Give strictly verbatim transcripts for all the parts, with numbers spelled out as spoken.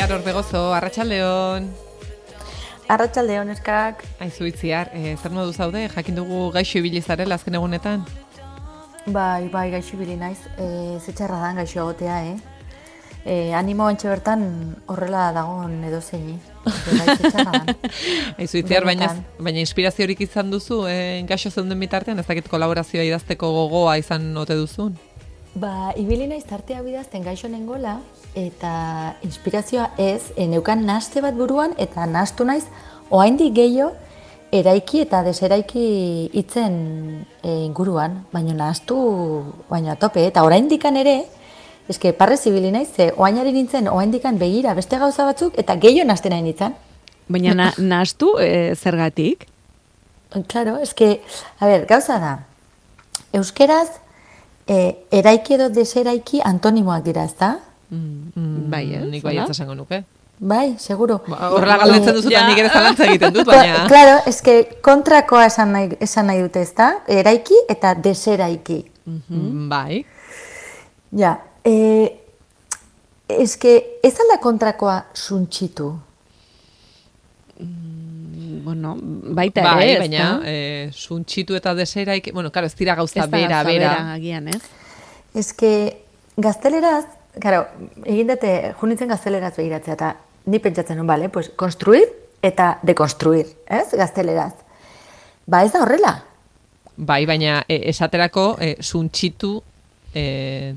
Itziar Orbegozo, Arratsaldeon. Arratsaldeon eskak. Aizu Itziar, e, zer modu zaude? Jakin dugu gaixo ibili zarela azken egunetan? Bai, bai, gaixo ibili naiz. E, Zetxarra dan gaixo egotea, eh? E, animo antxe bertan horrela dagoen edozeini. Bai, zetxarra dan. Aizu Itziar, baina, baina inspiraziorik izan duzu, e, gaixo zeuden bitartean, ez dakit kolaborazioa idazteko gogoa izan ote duzun? Ba, ibili naiz tartea bidazten gaixo nengola, eta inspirazioa ez, e, neukan naste bat buruan, eta nastu naiz, oraindik gehiago, eraiki eta deseraiki hitzen e, inguruan, baina nastu, baina tope, eta oraindikan ere, eske parrez ibili naiz, ze oainari nintzen, oraindikan begira beste gauza batzuk, eta gehiago naste nahi nintzen. Baina na, nastu e, zergatik? Claro, eske, a ber, gauza da, euskeraz, e, eraiki edo deseraiki antonimoak dira, ezta? Mm, mm, bai, eh? Nik bai ez esango nuke. Bai, seguro. Ba, horrela galdetzen duzu, eta nik ere zalantza egiten dut, baina... Claro, eske kontrakoa esan nahi, esan nahi dute, ezta? Eraiki eta deseraiki. Mm-hmm. Bai. Ja, e, eske ez alda kontrakoa suntxitu? Mm, bueno, baita bai, ere, ez baina, da? E, suntxitu eta deseraiki... Bueno, karo, ez dira gauza ez bera, da bera. agian, ez? Eske gazteleraz, claro, egin dute, junitzen gazteleraz begiratzea, eta ni pentsatzen nun, bale, pues, konstruir eta dekonstruir, ez, gazteleraz. Ba, ez da horrela. Bai, baina e, esaterako e, suntxitu e,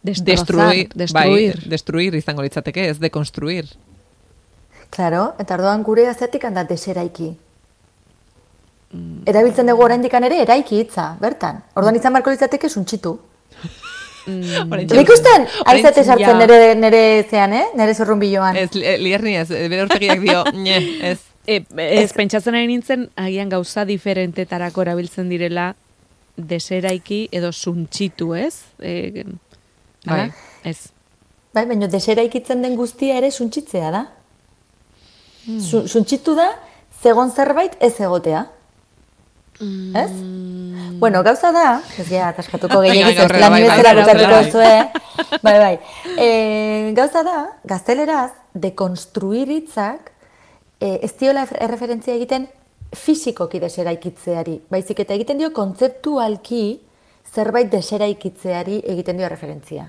Destrozar, destruir, destruir. Bai, destruir izango litzateke, ez dekonstruir. Claro, eta orduan gure azetik handa deseraiki. Mm. Erabiltzen dugu oraindikan ere eraiki hitza, bertan. Orduan izan barko litzateke suntxitu. Mm. Nik ustean, aizate sartzen nere, nere zean, eh? Nere zorrunbiloan. Ez, lierni ez, bere urtegiak dio, ne, ez. E, ez, pentsatzen ari nintzen, agian gauza diferentetarako erabiltzen direla deseraiki edo suntxitu, ez? E, bai. Ez. Bai, baina deseraikitzen den guztia ere suntxitzea da. Mm. Suntxitu da, zegon zerbait ez egotea. Mm. Ez? Bueno, gauza da, ez ja, ataskatuko gehiagiz, ez lan bezala bukatuko zuen. Bai, bai. E, gauza da, gazteleraz, dekonstruir hitzak, e, ez diola erreferentzia egiten fisikoki deseraikitzeari. Baizik eta egiten dio kontzeptualki zerbait deseraikitzeari egiten dio referentzia.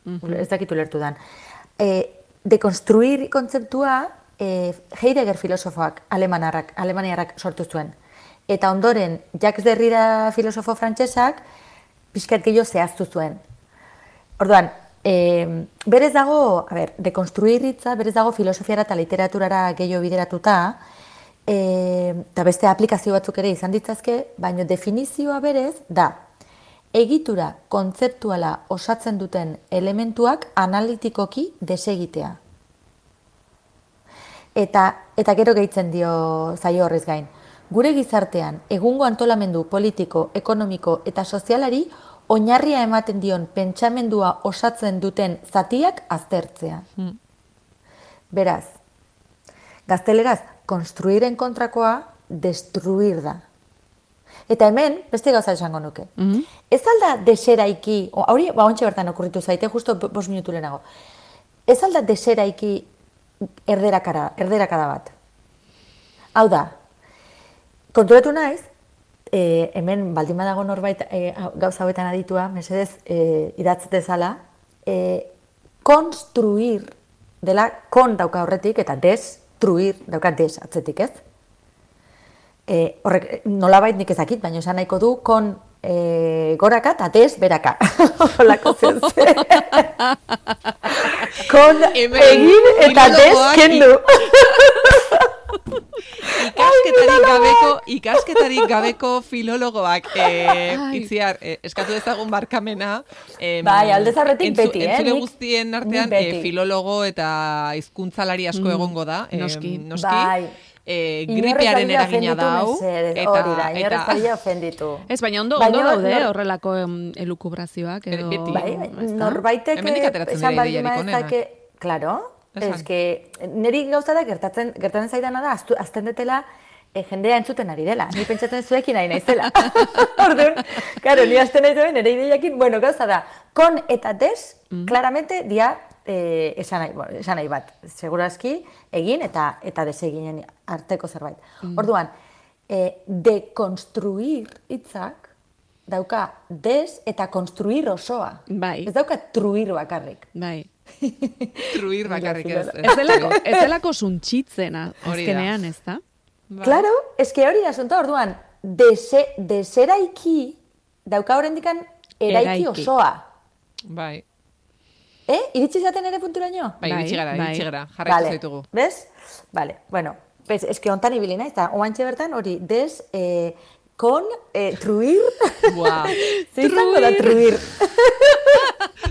Mm-hmm. Ez dakitu lertu dan. E, dekonstruir kontzeptua e, Heidegger filosofoak, alemaniarrak, alemaniarrak sortu zuen. Eta ondoren, Jacques Derrida filosofo frantsesak pixkat gehiago zehaztu zuen. Orduan, e, berez dago, a ber, dekonstruir hitza, berez dago filosofiara eta literaturara gehiago bideratuta, e, eta beste aplikazio batzuk ere izan ditzazke, baina definizioa berez da, egitura kontzeptuala osatzen duten elementuak analitikoki desegitea. Eta, eta gero gehitzen dio zaio horrez gain. Gure gizartean, egungo antolamendu politiko, ekonomiko eta sozialari oinarria ematen dion pentsamendua osatzen duten zatiak aztertzea. Hmm. Beraz, gazteleraz, konstruiren kontrakoa destruir da. Eta hemen, beste gauza esango nuke. Mm-hmm. Ez alda deseraiki, hori, ba, ontsa bertan okurritu zaite, justo bost minutu lehenago. Ez alda deseraiki erderakara, erderakada bat. Hau da, konturatu naiz, e, hemen baldin badago norbait e, gauza hauetan aditua, mesedez e, idatzatezala, e, konstruir dela kon dauka horretik eta destruir dauka des atzetik, ez? E, horrek nolabait nik ezakit, baina esan nahiko du kon e, goraka eta des beraka. Holako zen zen. Kon egin eta des kendu. Ikasketarik gabeko, ikasketarik gabeko filologoak eh, Itziar, eh, eskatu dezagun barkamena. Eh, bai, aldez aurretik beti, eh? Entzule guztien artean eh, filologo eta hizkuntzalari asko mm, egongo da. Eh, noski. noski. Bai. Eh, gripearen eragina da hau. Hori da, inorrez faria ofenditu. Ez, baina ondo, ondo daude nor... horrelako elukubrazioak edo... Beti. Bai, norbaitek esan baldin maezake, klaro, ez que niri gauza da gertatzen, gertatzen zaidana da, azten detela e, jendea entzuten ari dela. Ni pentsatzen zuekin nahi naizela. Orduan, claro, ni azten nahi zuen, nire ideiakin, bueno, gauza da, kon eta des, mm. claramente, dia eh, esan, nahi, bueno, esan nahi bat, segurazki egin eta eta deseginen arteko zerbait. Mm. Orduan, eh, dekonstruir hitzak dauka des eta konstruir osoa. Bai. Ez dauka truir bakarrik. Bai. Truir bakarrik ez. Ez delako, ez delako suntxitzena, azkenean, ez da? Bai. Claro, eske hori da asuntoa, orduan, dese, deseraiki dauka horrendikan eraiki, Eraiki. osoa. Bai. Eh? Iritsi zaten ere punturaino? Bai, Bai, iritsi gara, bai. iritsi gara. Jarraitu zaitugu. Bez? Vale, bueno, bez, eske hontan ibili naiz, eta oantxe bertan hori des, eh, kon, eh, truir, Buah. zer izango da truir?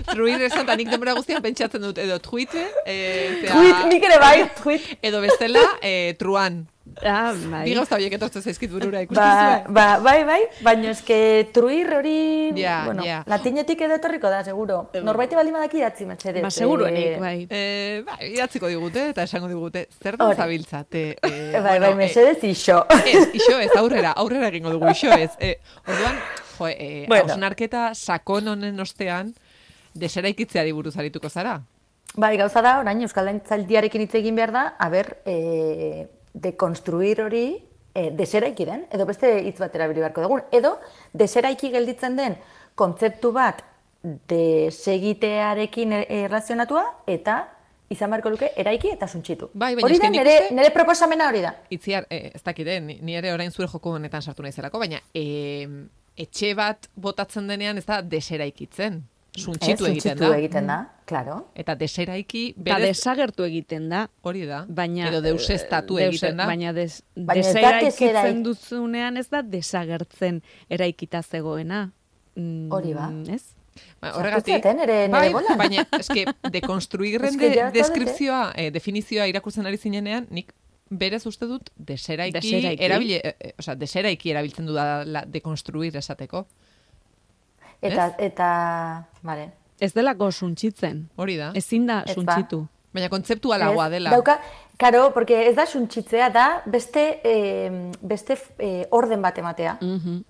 Truir esan, eta nik denbora guztian pentsatzen dut, edo tweet, eh, zera- Truit, nik ere bai, truit. edo bestela, eh, truan. Ah, bai. Bi gauza horiek etortzen zaizkit burura ikusten Ba, zuen. ba, bai, bai, baina eske truir hori, Ja, bueno, ja. latinetik edo etorriko da, seguro. Norbaite baldin badaki idatzi, metxedez. Ba, seguruenik, bai. Eh, bai, idatziko digute eta esango digute, zer da Hori. zabiltzate? Eh, Bai, bai, bueno, eh, mesedez iso. Ez, iso ez, aurrera, aurrera egingo dugu, iso ez. Eh, orduan, jo, eh, Bueno. hausnarketa sakon honen ostean, deseraikitzeari buruz arituko zara. Bai, gauza da, orain Euskaldaintzaldiarekin hitz egin behar da, a ber, e, dekonstruir hori e, deseraiki den, edo beste hitz bat erabili beharko dugun, edo deseraiki gelditzen den kontzeptu bat desegitearekin e- erlazionatua eta izan beharko luke eraiki eta suntxitu. Bai, baina hori eske da, nik nire, uste- nire proposamena hori da. Itziar, eh, ez dakite, ni, ni ere orain zure joko honetan sartu naizelako, baina eh, etxe bat botatzen denean ez da deseraikitzen. Suntxitu Ez, egiten suntxitu da. egiten da, claro. Eta deseraiki Eta berez desagertu egiten da. hori da. Baina, Edo deusestatu eh, egiten da. Baina des, Baina ez da deseraikitzen deseraik- duzunean ez da desagertzen eraikita zegoena. Mm, Hori ba. Ez? Ba, Sartu zaten ere nire bai, bolan. baina eske dekonstruirren Eske de, ja zaudete. deskripzioa, eh, definizioa irakurtzen ari zinenean, nik berez uste dut deseraiki, Deseraiki. erabile, eh, eh, osea, deseraiki erabiltzen du da la, dekonstruir esateko. Eta, eta, vale. Ez delako suntxitzen. Hori da. Ezin da Ez ba. suntxitu. Baina kontzeptualagoa Ez, dela. Dauka, karo, porque ez da suntxitzea, da beste, eh, beste eh, orden bat ematea. Mhm.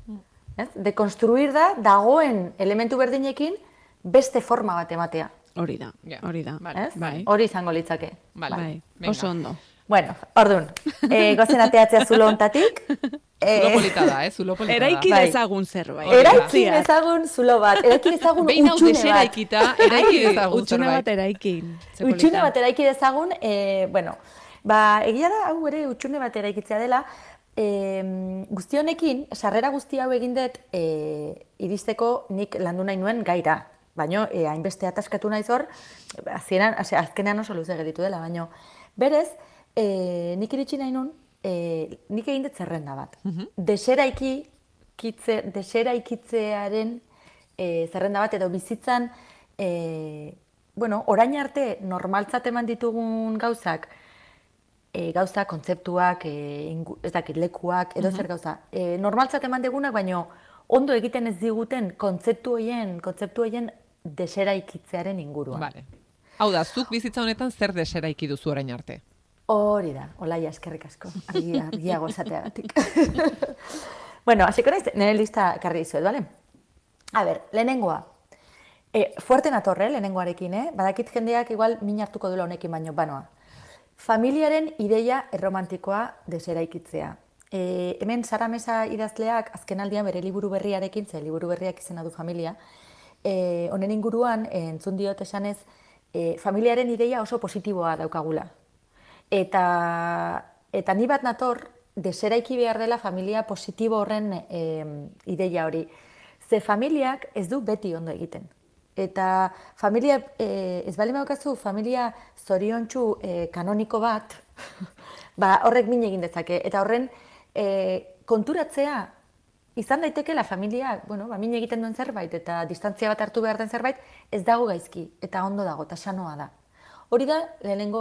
Ez? Dekonstruir da, dagoen elementu berdinekin beste forma bat ematea. Hori da, Ja, hori da. vale. Ez? Bai. Hori izango litzake. Vale, Bai, venga. oso ondo. Bueno, ordun, eh, gozen ateatzea zulo hontatik. Zulo Eh, polita da, eh? Zulo polita Eraiki da. Bai. dezagun zerbait. eraiki Utziak. dezagun zulo bat, eraiki dezagun Behin hau utxune bat. deseraikita, eraiki dezagun Utxune bat zerbait. eraikin. Ze Utxune polita. bat eraiki dezagun, eh, bueno, ba, egia da, hau ere utxune bat eraikitzea dela, eh, guzti honekin, sarrera guzti hau egin dut, eh, iristeko nik landu nahi nuen gaira. Baina, eh, hainbeste ataskatu naiz hor, azkenean, ase- azkenean oso luze geditu dela, baina, berez, eh, nik iritsi nahi nun, eh, nik egin dut zerrenda bat. Deseraiki, kitze, deseraikitzearen eh, zerrenda bat, edo bizitzan, eh, bueno, orain arte normaltzat eman ditugun gauzak, e, gauza, kontzeptuak, e, ingu, ez dakit, lekuak, edo zer gauza. E, normaltzat eman degunak, baino ondo egiten ez diguten kontzeptu horien, kontzeptu horien deseraikitzearen inguruan. Vale. Hau da, zuk bizitza honetan zer deseraiki duzu orain arte? Hori da, olaia eskerrik asko, argi, argiago esateagatik. Bueno, hasiko naiz, nire lista ekarri dizuet, bale? A ber, lehenengoa. E, fuerte natorre, lehenengoarekin, eh? Badakit jendeak igual min hartuko duela honekin baino, banoa. Familiaren ideia erromantikoa deseraikitzea. E, hemen Sara Mesa idazleak azkenaldian bere liburu berriarekin, ze liburu berriak izena du familia, e, honen inguruan, e, entzun diot esanez, e, familiaren ideia oso positiboa daukagula. Eta, eta ni bat nator, deseraiki behar dela familia positibo horren e, ideia hori. Ze familiak ez du beti ondo egiten. Eta familia, e, ez bali maukazu, familia zoriontsu e, kanoniko bat, ba, horrek min egin dezake. Eta horren e, konturatzea, izan daitekela familia, bueno, ba, min egiten duen zerbait, eta distantzia bat hartu behar den zerbait, ez dago gaizki, eta ondo dago, eta sanoa da. Hori da, lehenengo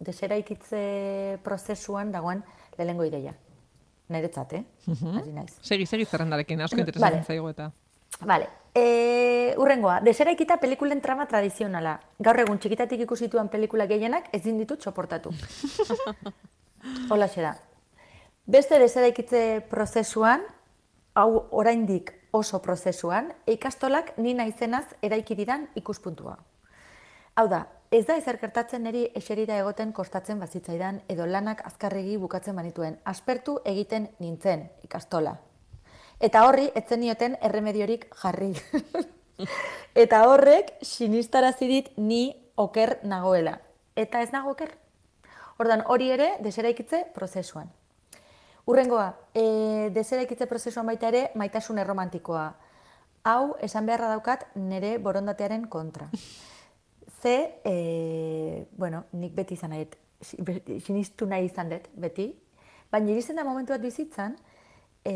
deseraikitze prozesuan dagoen lehenengo ideia. Niretzat, eh? Hasi naiz. Segi, segi zerrendarekin, asko Vale. interesatzen zaigu eta. Vale. E, urrengoa, deseraikita pelikulen trama tradizionala. Gaur egun txikitatik ikusituan pelikula gehienak ezin ditut soportatu. Holaxe da. Beste deseraikitze prozesuan, hau oraindik oso prozesuan, ikastolak ni naizenaz eraiki didan ikuspuntua. Hau da, ez da ezer gertatzen niri eserita egoten kostatzen bazitzaidan edo lanak azkarregi bukatzen banituen. Aspertu egiten nintzen, ikastola. Eta horri, etzen nioten erremediorik jarri. Eta horrek, sinistarazi dit ni oker nagoela. Eta ez nago oker. Ordan hori ere, deseraikitze prozesuan. Urrengoa, e, deseraikitze prozesuan baita ere, maitasun erromantikoa. Hau, esan beharra daukat, nire borondatearen kontra. Ze, e, bueno, nik beti izan nahi, sinistu nahi izan dut, beti. Baina iristen da momentu bat bizitzan, e,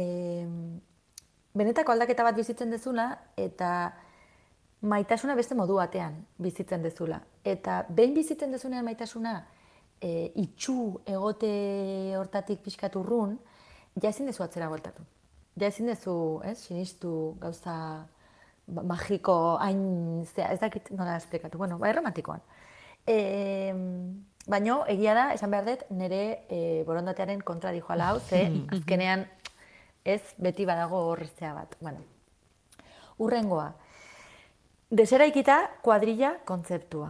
benetako aldaketa bat bizitzen dezula, eta maitasuna beste modu batean bizitzen dezula. Eta behin bizitzen dezunean maitasuna, e, itxu egote hortatik pixkat urrun, ja ezin dezu atzera voltatu. Ja ezin dezu, ez, sinistu gauza magiko, hain, ez dakit nola esplikatu, bueno, bai, romantikoan. E, baina, egia da, esan behar dut, nire e, borondatearen kontra dijoala hau, ze azkenean ez beti badago horreztea bat. Bueno. Urrengoa, deseraikita kuadrilla kontzeptua.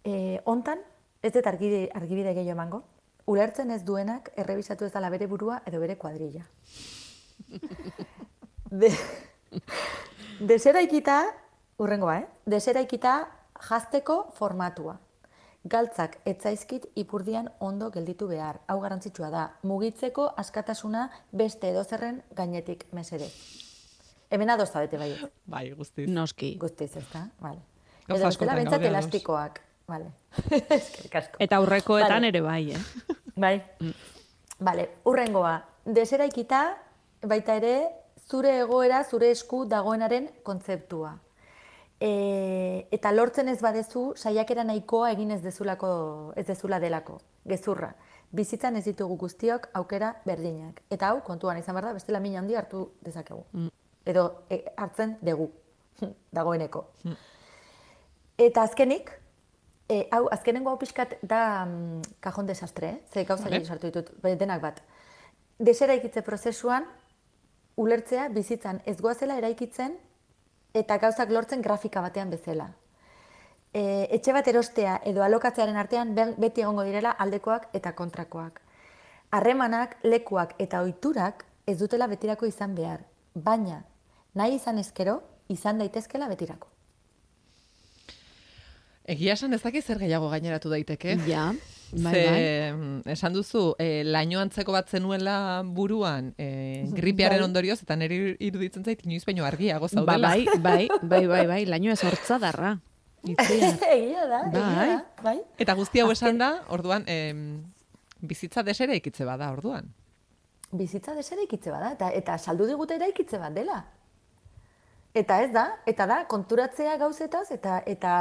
E, hontan, ez dut argibide, argibide gehiago emango, ulertzen ez duenak errebisatu ez dela bere burua edo bere kuadrilla. De, deseraikita, urrengoa, eh? Deseraikita jazteko formatua. Galtzak etzaizkit ipurdian ondo gelditu behar. Hau garrantzitsua da, mugitzeko askatasuna beste edozerren gainetik mesedez. Hemen adoz zabete bai. Bai, guztiz. Noski. Guztiz, ez da? Vale. Gauza Edo askotan bestela bentsat gaude ados. elastikoak. Vale. Eskerrik asko. Eta aurrekoetan Vale. ere bai, eh? Bai. Vale, urrengoa. Deseraikita baita ere zure egoera, zure esku dagoenaren kontzeptua. E, eta lortzen ez badezu, saiakera nahikoa egin ez dezulako, ez dezula delako. Gezurra. Bizitzan ez ditugu guztiok aukera berdinak. Eta hau, kontuan izan behar da, bestela min handi hartu dezakegu. Mm. Edo e, hartzen dugu, dagoeneko. Mm. Eta azkenik, e, hau, azkenengo hau pixkat da mm, kajon desastre, eh? Ze gauza Vale. gehi sartu ditut, denak bat. Deseraikitze prozesuan, ulertzea bizitzan ez goazela eraikitzen eta gauzak lortzen grafika batean bezala. E, etxe bat erostea edo alokatzearen artean be- beti egongo direla aldekoak eta kontrakoak. Harremanak, lekuak eta ohiturak ez dutela betirako izan behar, baina nahi izan ezkero izan daitezkela betirako. Egia esan ez dakit zer gehiago gaineratu daiteke. Ja, bai, Ze, bai. mm, esan duzu, e, laino antzeko bat zenuela buruan e, gripearen Bai. ondorioz, eta niri iruditzen zait inoiz baino argiago Ba, zaudela. bai, bai, bai, bai, bai, laino ez hortzadarra. Itziar. Egia da, egia Bai. da, bai. Eta guzti hau Azken- esan da, orduan, em, bizitza desera ikitze bada, orduan. Bizitza deseraikitze bada, eta, eta saldu digute eraikitze bat dela. Eta ez da, eta da, konturatzea gauzetaz, eta, eta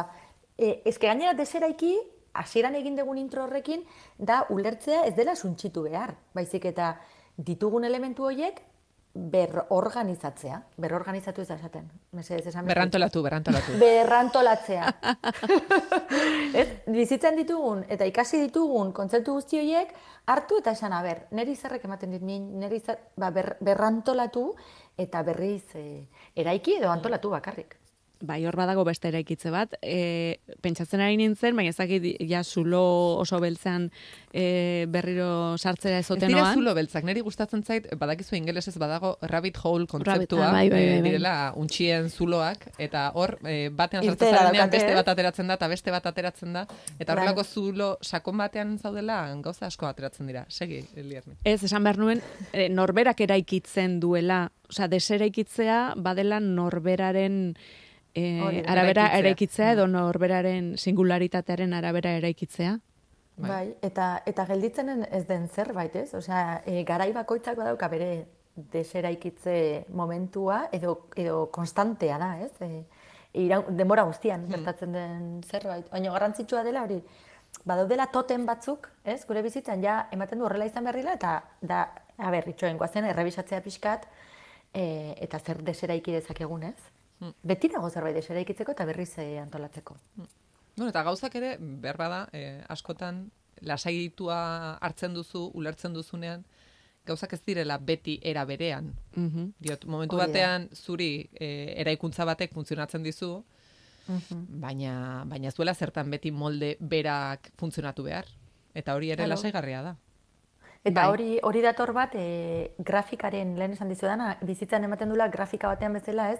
e, eske gainera deseraiki, hasieran egin dugun intro horrekin, da ulertzea ez dela suntxitu behar. Baizik eta ditugun elementu horiek berorganizatzea. Berorganizatu ez da esaten. Mesedez esan behar. Berrantolatu, berrantolatu. Berrantolatzea. Ez, bizitzan ditugun eta ikasi ditugun kontzeptu guzti horiek hartu eta esan, aber, neri zerrek ematen dit min, neri zer, ba, ber, berrantolatu eta berriz e, eraiki edo antolatu bakarrik. Bai, hor badago beste eraikitze bat. E, pentsatzen ari nintzen, baina ez dakit ja zulo oso beltzean e, berriro sartzera Ez ezoten dira noan. zulo beltzak, niri gustatzen zait, badakizu ingelesez badago rabbit hole kontzeptua, ah, bai, bai, eh, bai, bai. direla untxien zuloak, eta hor, eh, batean sartzen Irteera zarenean daukate, beste ez? bat ateratzen da, eta beste bat ateratzen da, eta Bai. horrelako zulo sakon batean zaudela, gauza asko ateratzen dira. Segi, Elierni. Ez, esan behar nuen, e, norberak eraikitzen duela, osea, deseraikitzea badela norberaren e, Hori, arabera eraikitzea. eraikitzea edo norberaren singularitatearen arabera eraikitzea. Bai. Bai, eta, eta gelditzen ez den zerbait, ez? Osea, e, garai bakoitzak badauka bere deseraikitze momentua edo, edo konstantea da, ez? E, ira, denbora guztian gertatzen den zerbait. Baina garrantzitsua dela hori, badaudela totem batzuk, ez? Gure bizitzan ja ematen du horrela izan behar dela, eta da, a ber, itxoen guazen, errebisatzea pixkat, e, eta zer deseraiki dezakegun, ez? Beti dago zerbait deseraikitzeko eta berriz e, antolatzeko. Bueno, eta gauzak ere, behar bada, eh, askotan, lasaitua hartzen duzu, ulertzen duzunean, gauzak ez direla beti era berean. Mhm. Diot, momentu Hori da. batean, zuri eh, eraikuntza batek funtzionatzen dizu, baina, baina ez duela zertan beti molde berak funtzionatu behar. Eta hori ere Claro. lasaigarria da. Eta Bai. hori hori dator bat, e, grafikaren, lehen esan dizudana, bizitzan ematen dula grafika batean bezala, ez,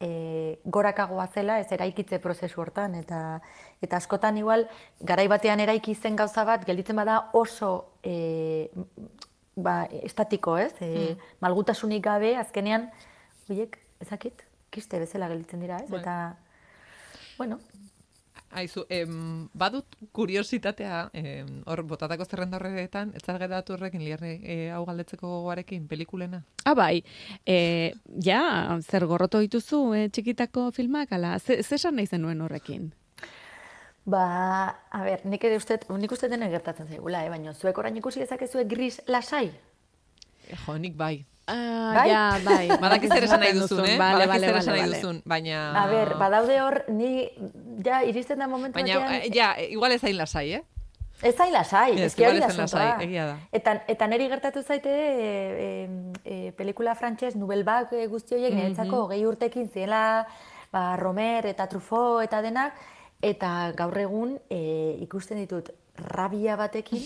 e, gorakagoa zela, ez eraikitze prozesu hortan, eta eta askotan igual, garai batean eraiki zen gauza bat, gelditzen bada oso e, ba, estatiko, ez, e, malgutasunik gabe, azkenean, horiek, ezakit, kiste bezala gelditzen dira, ez, Bai. eta, bueno, Aizu, em, badut kuriositatea, em, hor botatako zerrenda horretan, ez zara geratu horrekin liarne e, hau galdetzeko gogoarekin, pelikulena? Ah, bai, e, ja, zer gorroto dituzu e, txikitako filmak, ala, ze, ze esan nahi zenuen horrekin? ba, a ber, nik ere uste, nik uste dena gertatzen zaigula, eh? Baina zuek orain ikusi dezakezue gris lasai? E, jo, nik bai. Ah, Bai? ja, bai. Badakiz zer esan nahi duzun, eh? Vale, Badakiz vale, zer vale, esan nahi vale. duzun, baina... A ber, badaude hor, ni, ja, iristen da momentu Baina, batean... eh, ja, igual ez hain lasai, eh? Ez zain lasai, Ez, ez que hori igual da ez zen asuntoa. lasai, egia da. Eta, eta niri gertatu zaite e, e, e, pelikula frantses, Nouvelle Vague guzti horiek, niretzako hogei urtekin ziela, ba, Romer eta Truffaut eta denak, eta gaur egun e, ikusten ditut rabia batekin,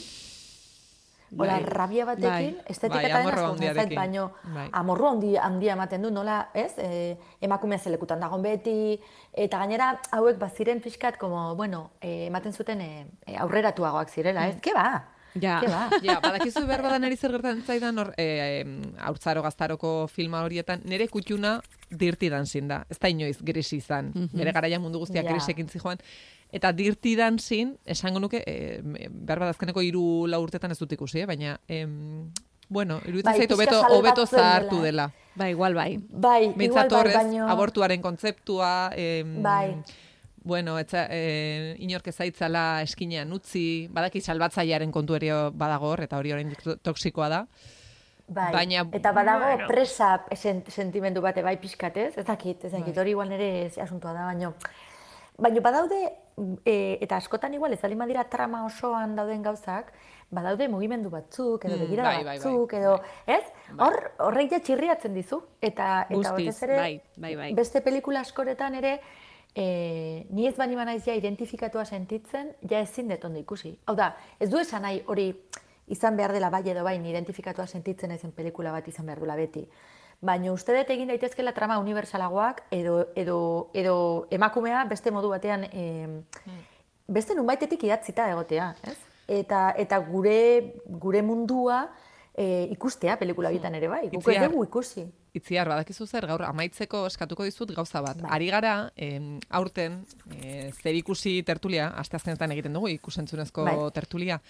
Hola, Bai. rabia batekin, Bai. estetika Bai, eta amorru denaz handiarekin. baino Bai. amorru handi, handia ematen du, nola, ez? E, emakumea zelekutan dagon beti, eta gainera hauek baziren pixkat, como, bueno, e, ematen zuten e, e, aurreratuagoak zirela, ez? Ke ba? Ja. Ke ba? Ja, badakizu behar badan eri zer gertatzen zaidan hor, e, haurtzaro gaztaroko filma horietan, nire kutxuna Dirty Dancing da. Ez da inoiz grisi izan. Bere garaian mundu guztiak Ja. grisekin zijoan. Eta Dirty Dancing, esango nuke, e, behar badazkeneko hiru lau urtetan ez dut ikusi, eh? Baina, em, bueno, iruditzen Bai, zait pixka hobeto salbatzen hobeto dela, zahartu eh? dela. Ba, igual bai. Bai, igual Behintzat bai, horrez, baino... abortuaren kontzeptua, em, Bai. bueno, etza, e, inork ezaitzala eskinean utzi, badaki salbatzailearen kontu ere badago hor, eta hori orain toksikoa da. Bai. Baina, eta badago bueno. presa sent, sentimendu bate bai pixkat, ez? Ez dakit, ez dakit, Bai. hori igual nire asuntua da, baino... Baina badaude, e, eta askotan igual, ez baldin badira trama osoan dauden gauzak, badaude mugimendu batzuk, edo Mm, begirada bai, bai, bai, batzuk, bai. edo, ez? Hor, horrek ja txirriatzen dizu. Eta, eta Guztiz, batez ere, bai, bai, bai. beste pelikula askoretan ere, e, ni ez bani banaiz ja identifikatua sentitzen, ja ezin dut ondo ikusi. Hau da, ez du esan nahi hori izan behar dela bai edo bai, ni identifikatua sentitzen naizen pelikula bat izan behar duela beti. Baina uste dut egin daitezkela trama universalagoak edo, edo, edo emakumea beste modu batean e, beste nunbaitetik idatzita egotea, ez? Eta, eta gure, gure mundua e, ikustea pelikula bitan ere bai, guk ez Itziar. dugu ikusi. Itziar, badakizu zer, gaur amaitzeko eskatuko dizut gauza bat. Bai. Ari gara, em, aurten, e, zer ikusi tertulia, asteazkenetan egiten dugu, ikusentzunezko Bai. tertulia.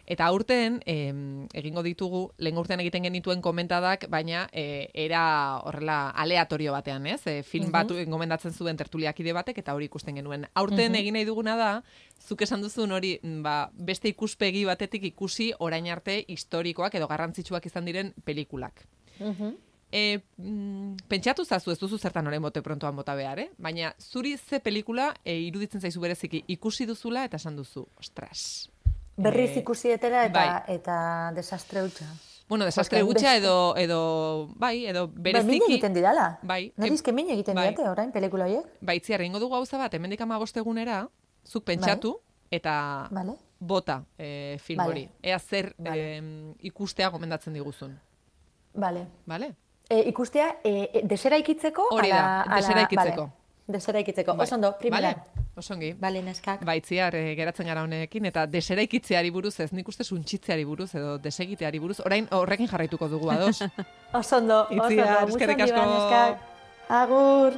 Eta aurten, em, egingo ditugu, lehen urtean egiten genituen komentadak, baina e, era horrela aleatorio batean, ez? E, film batu gomendatzen zuen tertuliakide batek, eta hori ikusten genuen. Aurten egin nahi duguna da, zuk esan duzun hori, ba, beste ikuspegi batetik ikusi orain arte historikoak edo garrantzitsuak izan diren pelikulak. E, mm, pentsatu zazu, ez duzu zertan orain bote prontoan bota behar, eh? Baina zuri ze pelikula e, iruditzen zaizu bereziki ikusi duzula eta esan duzu, ostras. Berriz Eh, ikusi etera eta, bai. eta desastre hutsa. Bueno, desastre Porque gutxa beste- edo, edo, bai, edo Bai, bereziki... min egiten didala. Bai. Nire izke min egiten bai. didate orain pelikula horiek. Baitziar, egingo dugu gauza bat, hemendik hamabost egunera, zuk pentsatu, eta Vale. bota e, film Vale. hori. Ea zer Vale. em, ikustea gomendatzen diguzun. Vale. Bale? E, ikustea, e, e, deseraikitzeko? Hori da, ala- ala- deseraikitzeko. Vale. Deseraikitzeko. Bai. Oso ondo, primera. Bale? Osongi. Bale, neskak. Baitziar, e, geratzen gara honekin, eta deseraikitzeari buruz, ez nik uste suntsitzeari buruz, edo desegiteari buruz, orain horrekin jarraituko dugu ados. Oso ondo, oso ondo. Itziar, Mucho eskerrik handi ba, asko. neskak. Agur.